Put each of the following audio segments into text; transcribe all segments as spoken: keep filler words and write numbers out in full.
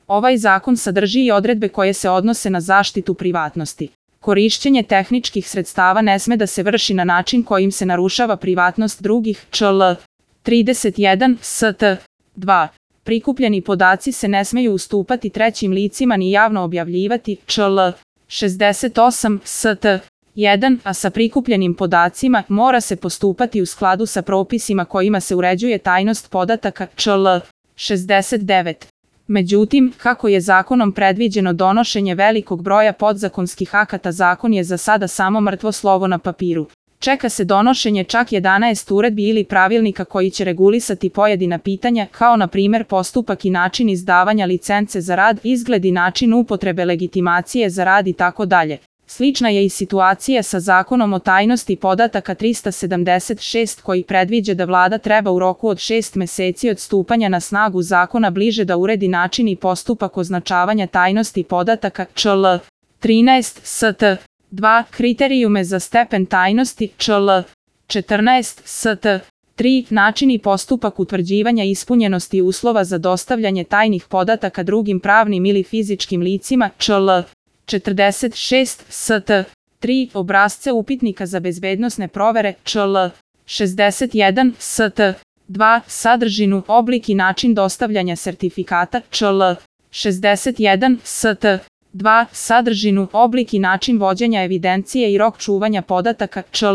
Ovaj zakon sadrži i odredbe koje se odnose na zaštitu privatnosti. Korišćenje tehničkih sredstava ne sme da se vrši na način kojim se narušava privatnost drugih, čl. trideset jedan st. dva. Prikupljeni podaci se ne smeju ustupati trećim licima ni javno objavljivati, čl. šezdeset osam st. jedan, a sa prikupljenim podacima mora se postupati u skladu sa propisima kojima se uređuje tajnost podataka, čl. šezdeset devet. Međutim, kako je zakonom predviđeno donošenje velikog broja podzakonskih akata, zakon je za sada samo mrtvo slovo na papiru. Čeka se donošenje čak jedanaest uredbi ili pravilnika koji će regulisati pojedina pitanja, kao na primjer postupak i način izdavanja licence za rad, izgled i način upotrebe legitimacije za rad i tako dalje. Slična je i situacija sa zakonom o tajnosti podataka trista sedamdeset šest koji predviđa da vlada treba u roku od šest meseci od stupanja na snagu zakona bliže da uredi način i postupak označavanja tajnosti podataka, čl. trinaest st. dva. Kriterijume za stepen tajnosti, čl. četrnaest st. tri. Način i postupak utvrđivanja ispunjenosti uslova za dostavljanje tajnih podataka drugim pravnim ili fizičkim licima, čl. četrdeset šest st. tri. Obrasce upitnika za bezbednosne provere, čl. šezdeset jedan st. dva. Sadržinu, oblik i način dostavljanja sertifikata, čl. šezdeset jedan st. dva. Sadržinu, oblik i način vođenja evidencije i rok čuvanja podataka, čl.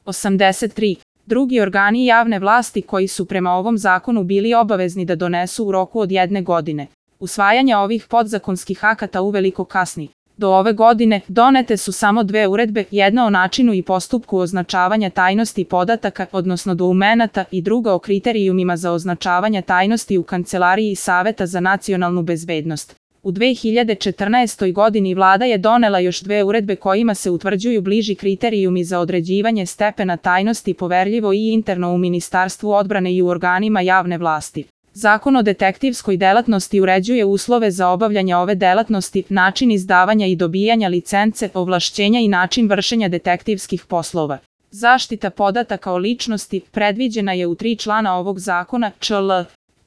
osamdeset tri. Drugi organi javne vlasti koji su prema ovom zakonu bili obavezni da donesu u roku od jedne godine. Usvajanje ovih podzakonskih akata uveliko kasni. Do ove godine donete su samo dve uredbe, jedna o načinu i postupku označavanja tajnosti podataka, odnosno dokumenata, i druga o kriterijumima za označavanje tajnosti u Kancelariji Saveta za nacionalnu bezbednost. U dve hiljade četrnaestoj. godini vlada je donela još dve uredbe kojima se utvrđuju bliži kriterijumi za određivanje stepena tajnosti poverljivo i interno u Ministarstvu odbrane i u organima javne vlasti. Zakon o detektivskoj delatnosti uređuje uslove za obavljanje ove delatnosti, način izdavanja i dobijanja licence, ovlašćenja i način vršenja detektivskih poslova. Zaštita podataka o ličnosti predviđena je u tri člana ovog zakona, čl.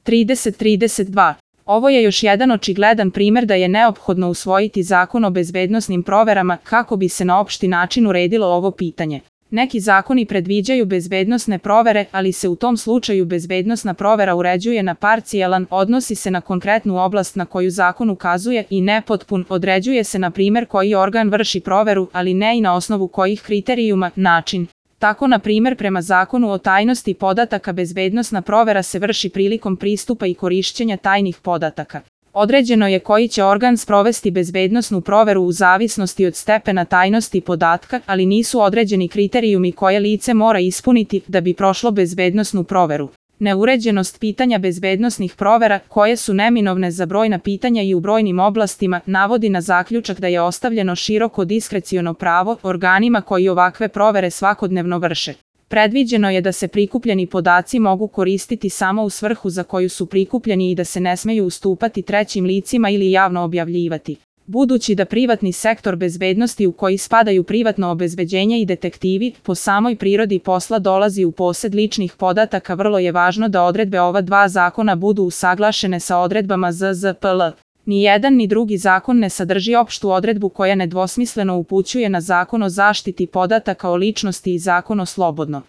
trideset trideset dva. Ovo je još jedan očigledan primjer da je neophodno usvojiti zakon o bezbednosnim proverama kako bi se na opšti način uredilo ovo pitanje. Neki zakoni predviđaju bezbednosne provere, ali se u tom slučaju bezbednosna provera uređuje na parcijalan, odnosi se na konkretnu oblast na koju zakon ukazuje, i nepotpun, određuje se na primjer koji organ vrši proveru, ali ne i na osnovu kojih kriterijuma, način. Tako, na primjer, prema zakonu o tajnosti podataka bezbednosna provera se vrši prilikom pristupa i korišćenja tajnih podataka. Određeno je koji će organ sprovesti bezbednosnu proveru u zavisnosti od stepena tajnosti podatka, ali nisu određeni kriterijumi koje lice mora ispuniti da bi prošlo bezbednosnu proveru. Neuređenost pitanja bezbednosnih provera, koje su neminovne za brojna pitanja i u brojnim oblastima, navodi na zaključak da je ostavljeno široko diskreciono pravo organima koji ovakve provere svakodnevno vrše. Predviđeno je da se prikupljeni podaci mogu koristiti samo u svrhu za koju su prikupljeni i da se ne smeju ustupati trećim licima ili javno objavljivati. Budući da privatni sektor bezbednosti u koji spadaju privatno obezbeđenje i detektivi, po samoj prirodi posla dolazi u posed ličnih podataka, vrlo je važno da odredbe ova dva zakona budu usaglašene sa odredbama Z Z P L. Ni jedan ni drugi zakon ne sadrži opštu odredbu koja nedvosmisleno upućuje na Zakon o zaštiti podataka o ličnosti i Zakon o slobodno